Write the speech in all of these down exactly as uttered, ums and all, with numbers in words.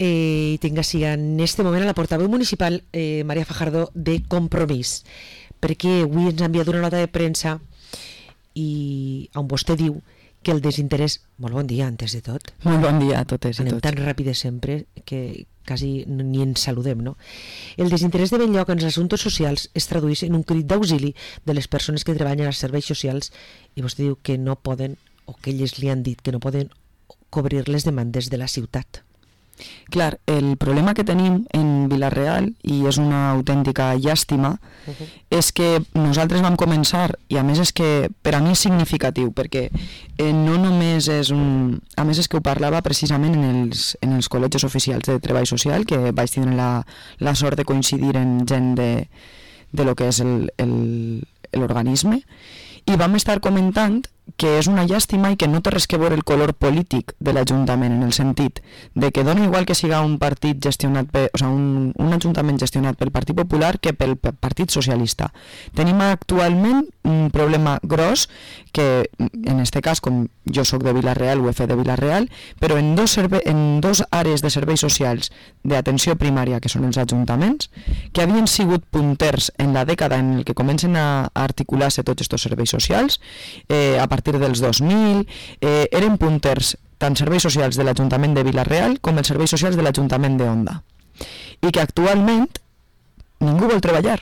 eh, i tinc així en este moment a la portaveu municipal eh, Maria Fajardo de Compromís, perquè avui ens ha enviat una nota de premsa i on vostè diu que el desinterès... Molt bon dia, antes de tot. Molt bon dia a totes i Anem tots. tan ràpides sempre que quasi ni ens saludem, no? El desinterès de ben lloc en els assumptes socials es tradueix en un crit d'auxili de les persones que treballen als serveis socials i vostè diu que no poden, o que elles li han dit que no poden cobrir les demandes de la ciutat. Clar, el problema que tenim en Vila-real, i és una autèntica llàstima, uh-huh. és que nosaltres vam començar, i a més és que per a mi és significatiu, perquè eh, no només és un... A més és que ho parlava precisament en els, en els col·legis oficials de treball social, que vaig tenir la, la sort de coincidir en gent de, de lo que és el, el, l'organisme, i vam estar comentant que és una llàstima i que no té res que veure el color polític de l'Ajuntament, en el sentit de que dona igual que siga un partit gestionat per, o sigui, un, un ajuntament gestionat pel Partit Popular que pel Partit Socialista. Tenim actualment un problema gros que, en este cas, com jo sóc de Vila-real, U F de Vila-real, però en dos, serve, en dos àrees de serveis socials d'atenció primària, que són els ajuntaments, que havien sigut punters en la dècada en el que comencen a articular-se tots aquests serveis socials, eh, a partir dels dos mil, eh, eren punters tant serveis socials de l'Ajuntament de Vila-real com els serveis socials de l'Ajuntament de Onda. I que actualment ningú vol treballar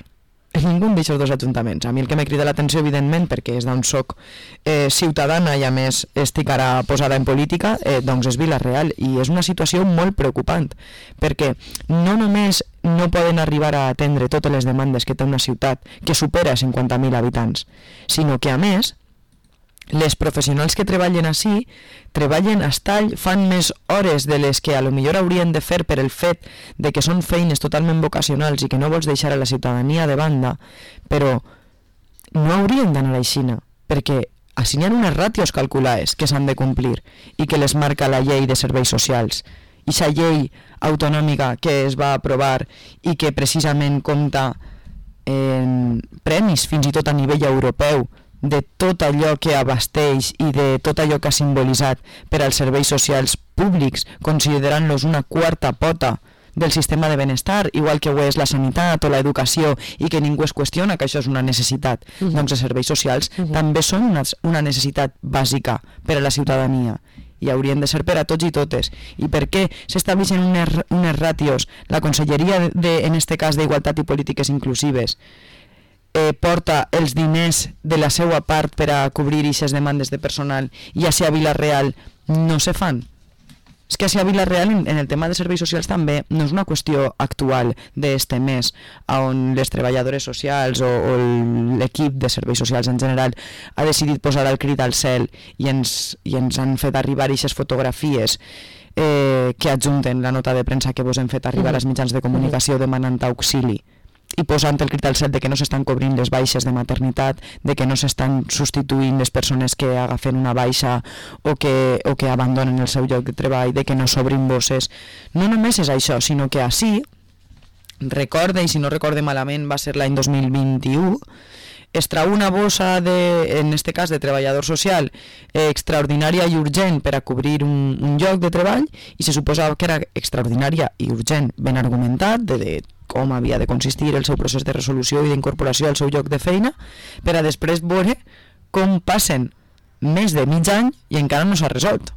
en ningú d'aquests dos ajuntaments. A mi el que m'ha cridat l'atenció, evidentment, perquè és d'on soc eh, ciutadana i a més estic ara posada en política, eh, doncs és Vila-real, i és una situació molt preocupant, perquè no només no poden arribar a atendre totes les demandes que té una ciutat que supera cinquanta mil habitants, sinó que a més les professionals que treballen així treballen a estall, fan més hores de les que a lo millor haurien de fer per el fet de que són feines totalment vocacionals i que no vols deixar a la ciutadania de banda, però no haurien d'anar així, perquè així hi ha unes ràtios calculades que s'han de complir i que les marca la llei de serveis socials. I aquesta llei autonòmica que es va aprovar i que precisament compta en premis fins i tot a nivell europeu de tot allò que abasteix i de tot allò que ha simbolitzat per als serveis socials públics, considerant-los una quarta pota del sistema de benestar, igual que ho és la sanitat o l'educació, i que ningú es qüestiona que això és una necessitat. Uh-huh. Doncs els serveis socials uh-huh. també són una, una necessitat bàsica per a la ciutadania i haurien de ser per a tots i totes. I per què s'estableixen unes, unes ràtios? La Conselleria, de, en este cas d'Igualtat i Polítiques Inclusives, Eh, porta els diners de la seva part per a cobrir aquestes demandes de personal i així a Vila-real no se fan. És que així a Vila-real en, en el tema de serveis socials també no és una qüestió actual d'este mes on les treballadores socials o, o l'equip de serveis socials en general ha decidit posar el crit al cel i ens, i ens han fet arribar aquestes fotografies eh, que adjunten la nota de premsa que vos hem fet arribar als mitjans de comunicació demanant auxili i posant el crit al cel de que no s'estan cobrint les baixes de maternitat, de que no s'estan substituint les persones que agafen una baixa o que, o que abandonen el seu lloc de treball, de que no s'obrin bosses. No només és això, sinó que així, recorde, i si no recorde malament va ser l'any dos mil vint-i-u, es trau una bossa, de, en este cas de treballador social, eh, extraordinària i urgent per a cobrir un, un lloc de treball, i se suposava que era extraordinària i urgent, ben argumentat, de, de com havia de consistir el seu procés de resolució i d'incorporació al seu lloc de feina, per a després veure com passen més de mig any i encara no s'ha resolt.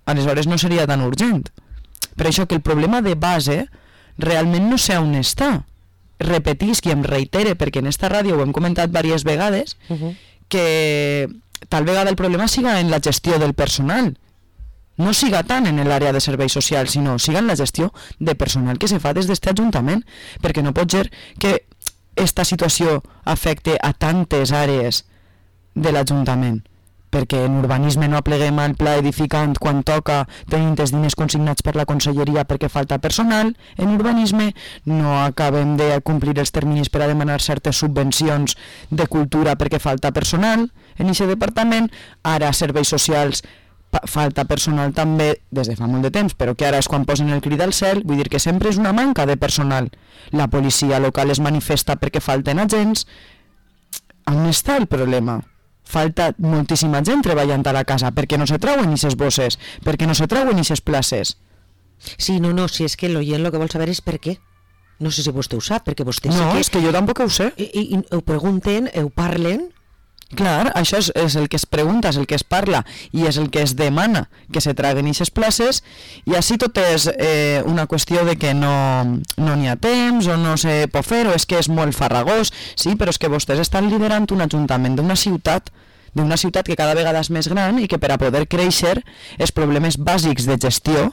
Aleshores no seria tan urgent. Per això que el problema de base realment no sé on està. Repetisc i em reitere, perquè en esta ràdio ho hem comentat diverses vegades, uh-huh. que tal vegada el problema siga en la gestió del personal, no siga tant en l'àrea de serveis socials, sinó siga en la gestió de personal que se fa des d'este Ajuntament, perquè no pot ser que esta situació afecte a tantes àrees de l'Ajuntament, perquè en urbanisme no apleguem al pla edificant quan toca tenint els diners consignats per la Conselleria perquè falta personal, en urbanisme no acabem de complir els terminis per a demanar certes subvencions de cultura perquè falta personal en aquest departament, ara serveis socials falta personal també des de fa molt de temps, però que ara és quan posen el crit al cel, vull dir que sempre és una manca de personal. La policia local es manifesta perquè falten agents. On està el problema? Falta moltíssima gent treballant a la casa perquè no se trauen aquestes bosses, perquè no se trauen aquestes places. Sí, no, no, si és que l'oient el que vol saber és per què. No sé si vostè ho sap, perquè vostè no, sí que... és que jo tampoc ho sé. I, i, i ho pregunten, ho parlen... Clar, això és, és el que es pregunta, és el que es parla i és el que es demana, que se traguen aquestes places, i així tot és eh, una qüestió de que no no n'hi ha temps o no se pot fer, o és que és molt farragós, sí, però és que vostès estan liderant un ajuntament d'una ciutat d'una ciutat que cada vegada és més gran i que per a poder créixer els problemes bàsics de gestió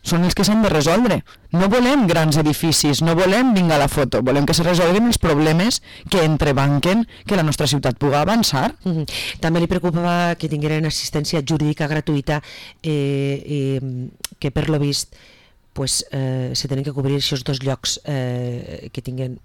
són els que s'han de resoldre. No volem grans edificis, no volem vinga a la foto, volem que se resolguin els problemes que entrebanquen que la nostra ciutat pugui avançar. Mm-hmm. També li preocupava que tingueren assistència jurídica gratuïta, eh, eh, que per lo vist pues, eh, se tenen que cobrir aquests dos llocs eh, que tinguen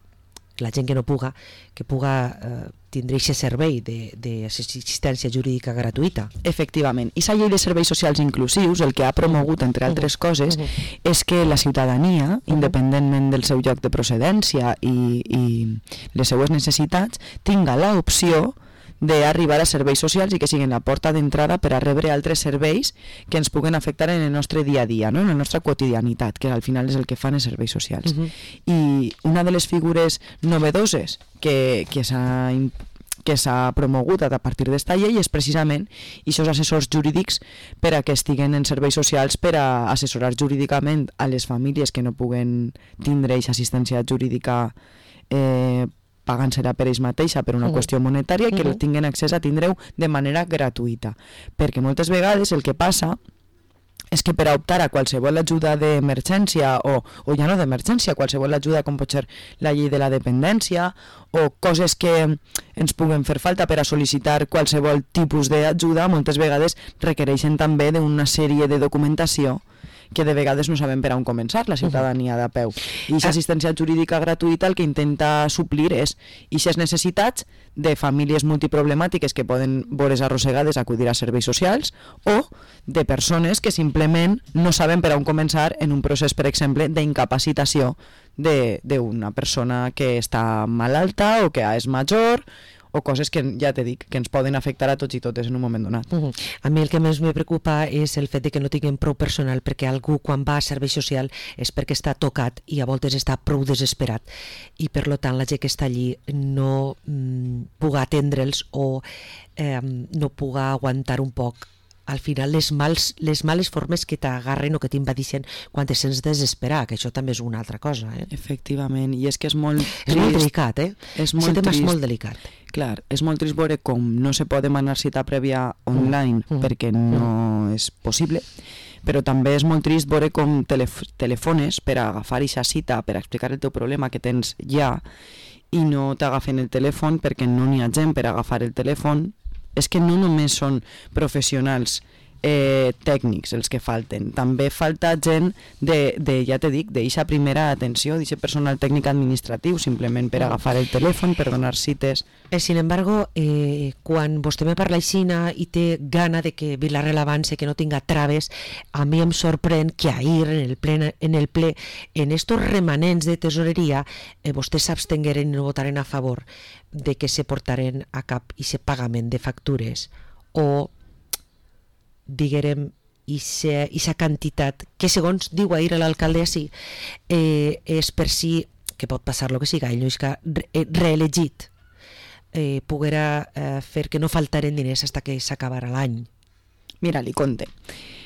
la gent que no puga, que puga eh, tindre aquest servei d'assistència jurídica gratuïta. Efectivament. I la llei de serveis socials inclusius el que ha promogut, entre altres coses, és que la ciutadania, independentment del seu lloc de procedència i, i les seues necessitats, tinga l'opció d'arribar a serveis socials i que siguin la porta d'entrada per a rebre altres serveis que ens puguen afectar en el nostre dia a dia, no? En la nostra quotidianitat, que al final és el que fan els serveis socials. Uh-huh. I una de les figures novedoses que, que s'ha que s'ha promogut a partir d'esta llei és precisament aquests assessors jurídics per a que estiguen en serveis socials per a assessorar jurídicament a les famílies que no puguen tindre aquesta assistència jurídica eh, pagant-se-la per ells mateixa per una uh-huh. qüestió monetària i que uh-huh. tinguin accés a tindre-ho de manera gratuïta. Perquè moltes vegades el que passa és que per a optar a qualsevol ajuda d'emergència o, o ja no d'emergència, qualsevol ajuda com pot ser la llei de la dependència o coses que ens puguen fer falta per a sol·licitar qualsevol tipus d'ajuda, moltes vegades requereixen també d'una sèrie de documentació que de vegades no sabem per on començar la ciutadania de peu. I aquesta assistència jurídica gratuïta el que intenta suplir és aquestes necessitats de famílies multiproblemàtiques que poden veure's arrossegades a acudir a serveis socials o de persones que simplement no saben per on començar en un procés, per exemple, d'incapacitació d'una persona que està malalta o que és major o coses que, ja t'he dit, que ens poden afectar a tots i totes en un moment donat. Uh -huh. A mi el que més me preocupa és el fet de que no tinguem prou personal, perquè algú quan va a servei social és perquè està tocat i a voltes està prou desesperat i per lo tant la gent que està allí no mm, puga atendre'ls o eh, no puga aguantar un poc al final les, mals, les males formes que t'agarren o que t'invadixen quan te sents desesperar, que això també és una altra cosa. Eh? Efectivament, i és que és molt és trist. molt delicat, eh? És molt tema trist. és molt delicat. Clar, és molt trist veure com no se pot demanar cita prèvia online mm. perquè no mm. és possible, però també és molt trist veure com telef telefones per a agafar aquesta cita, per a explicar el teu problema que tens ja, i no t'agafen el telèfon perquè no n'hi ha gent per agafar el telèfon. És que no només són professionals eh, tècnics els que falten, també falta gent de, de ja t'he dit, d'eixa primera atenció, d'aquest personal tècnic administratiu, simplement per agafar el telèfon, per donar cites. Eh, sin embargo, eh, quan vostè me parla aixina i té gana de que Vila-real avance, que no tinga traves, a mi em sorprèn que ahir en el ple, en, el ple, en estos remanents de tesoreria, eh, vostès s'abstengueren i no votaren a favor de que se portaren a cap i se pagament de factures o diguérem aquesta quantitat que segons diu ahir l'alcalde així eh, és per si, que pot passar el que siga, ell no és que reelegit eh, poguera eh, fer que no faltaren diners fins que s'acabara l'any. Mira, li conte.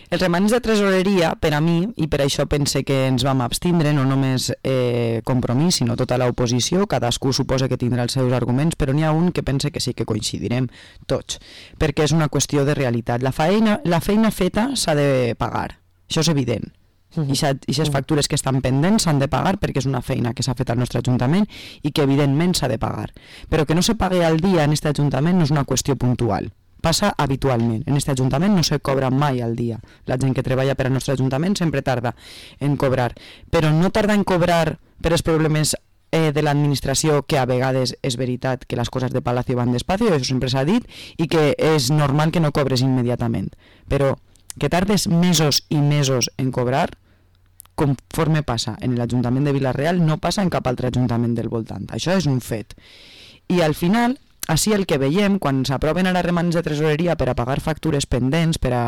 Els remanents de tresoreria, per a mi, i per això pense que ens vam abstindre, no només eh, Compromís, sinó tota l'oposició, cadascú suposa que tindrà els seus arguments, però n'hi ha un que pense que sí que coincidirem tots, perquè és una qüestió de realitat. La feina, la feina feta s'ha de pagar, això és evident. I aquestes factures que estan pendents s'han de pagar perquè és una feina que s'ha fet al nostre Ajuntament i que evidentment s'ha de pagar. Però que no se pagui al dia en aquest Ajuntament no és una qüestió puntual. Passa habitualment. En aquest Ajuntament no se cobra mai al dia. La gent que treballa per al nostre Ajuntament sempre tarda en cobrar. Però no tarda en cobrar per els problemes eh, de l'administració, que a vegades és veritat que les coses de Palacio van despacio, això sempre s'ha dit, i que és normal que no cobres immediatament. Però que tardes mesos i mesos en cobrar, conforme passa en l'Ajuntament de Vila-real, no passa en cap altre Ajuntament del voltant. Això és un fet. I al final, així el que veiem, quan s'aproven ara remanents de tresoreria per a pagar factures pendents, per a,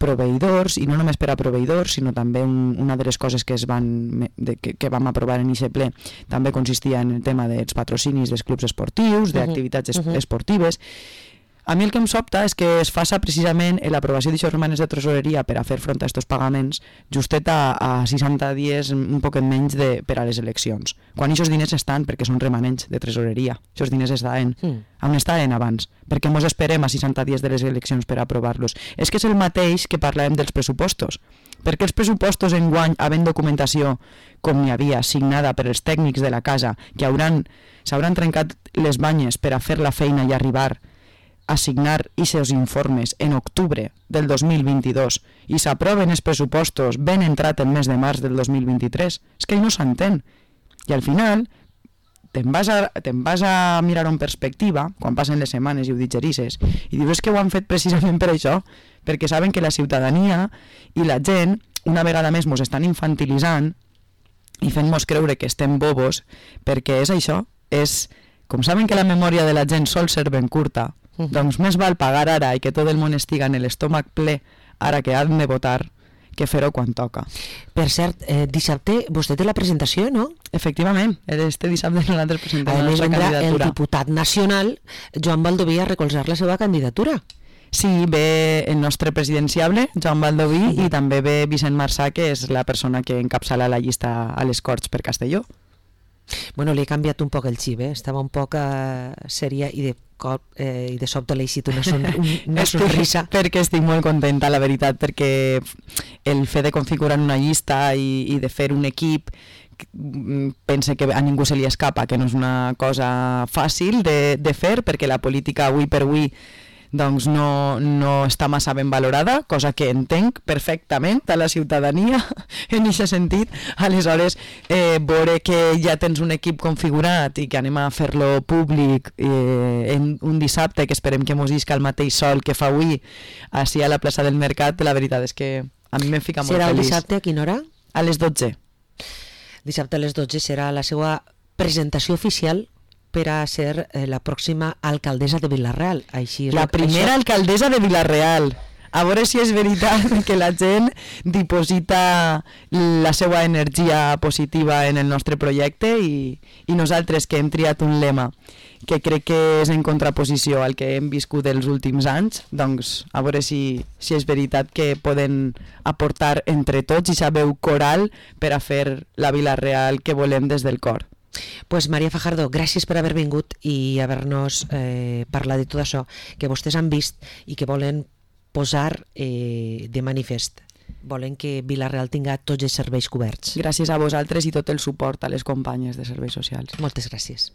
proveïdors, i no només per a proveïdors, sinó també un, una de les coses que, es van, de, que, que vam aprovar en aquest ple també consistia en el tema dels patrocinis dels clubs esportius, d'activitats uh -huh. esportives. A mi el que em sobta és que es faça precisament l'aprovació d'aixòs romanes de tresoreria per a fer front a aquests pagaments justet a, a seixanta dies, un poquet menys de, per a les eleccions. Quan aquests diners estan, perquè són remanents de tresoreria, aquests diners estaven, mm. on estaven abans? Perquè mos esperem a seixanta dies de les eleccions per aprovar-los. És que és el mateix que parlàvem dels pressupostos. Perquè els pressupostos enguany, havent documentació, com n'hi havia, signada per els tècnics de la casa, que hauran, s'hauran trencat les banyes per a fer la feina i arribar a signar aquests informes en octubre del dos mil vint-i-dos i s'aproven els pressupostos ben entrat el mes de març del dos mil vint-i-tres, és que no s'entén. I al final te'n vas, a, te'n vas a mirar en perspectiva, quan passen les setmanes i ho digerisses, i dius que ho han fet precisament per això, perquè saben que la ciutadania i la gent, una vegada més, mos estan infantilitzant i fent-mos creure que estem bobos, perquè és això, és, com saben que la memòria de la gent sol ser ben curta, doncs més val pagar ara i que tot el món estiga en l'estómac ple ara que han de votar que fer-ho quan toca. Per cert, eh, dissabte vostè té la presentació, no? Efectivament, este dissabte nosaltres presentem la nostra candidatura. A més, candidatura. El diputat nacional, Joan Baldoví, a recolzar la seva candidatura. Sí, ve el nostre presidenciable, Joan Baldoví, sí. I també ve Vicent Marsà, que és la persona que encapçala la llista a les Corts per Castelló. Bueno, li he canviat un poc el xip, eh? Estava un poc eh, sèria i de cop eh, i de sobte l'he eixit una, son, una sonrisa. Perquè estic molt contenta, la veritat, perquè el fet de configurar una llista i, i de fer un equip pense que a ningú se li escapa, que no és una cosa fàcil de, de fer, perquè la política avui per avui doncs no, no està massa ben valorada, cosa que entenc perfectament a la ciutadania en aquest sentit. Aleshores, eh, veure que ja tens un equip configurat i que anem a fer-lo públic eh, en un dissabte, que esperem que mos isca el mateix sol que fa avui així a la plaça del Mercat, la veritat és que a mi m'em ficat molt feliç. Serà el feliç. dissabte a quina hora? A les dotze. Dissabte a les dotze serà la seva presentació oficial per a ser eh, la pròxima alcaldessa de Vila-real. Així és la que, primera això... alcaldessa de Vila-real. A veure si és veritat que la gent diposita la seva energia positiva en el nostre projecte i, i nosaltres que hem triat un lema que crec que és en contraposició al que hem viscut els últims anys, doncs a veure si, si és veritat que poden aportar entre tots i sabeu coral per a fer la Vila-real que volem des del cor. Pues Maria Fajardo, gràcies per haver vingut i haver-nos eh, parlat de tot això que vostès han vist i que volen posar eh, de manifest. Volen que Vila-real tinga tots els serveis coberts. Gràcies a vosaltres i tot el suport a les companyes de serveis socials. Moltes gràcies.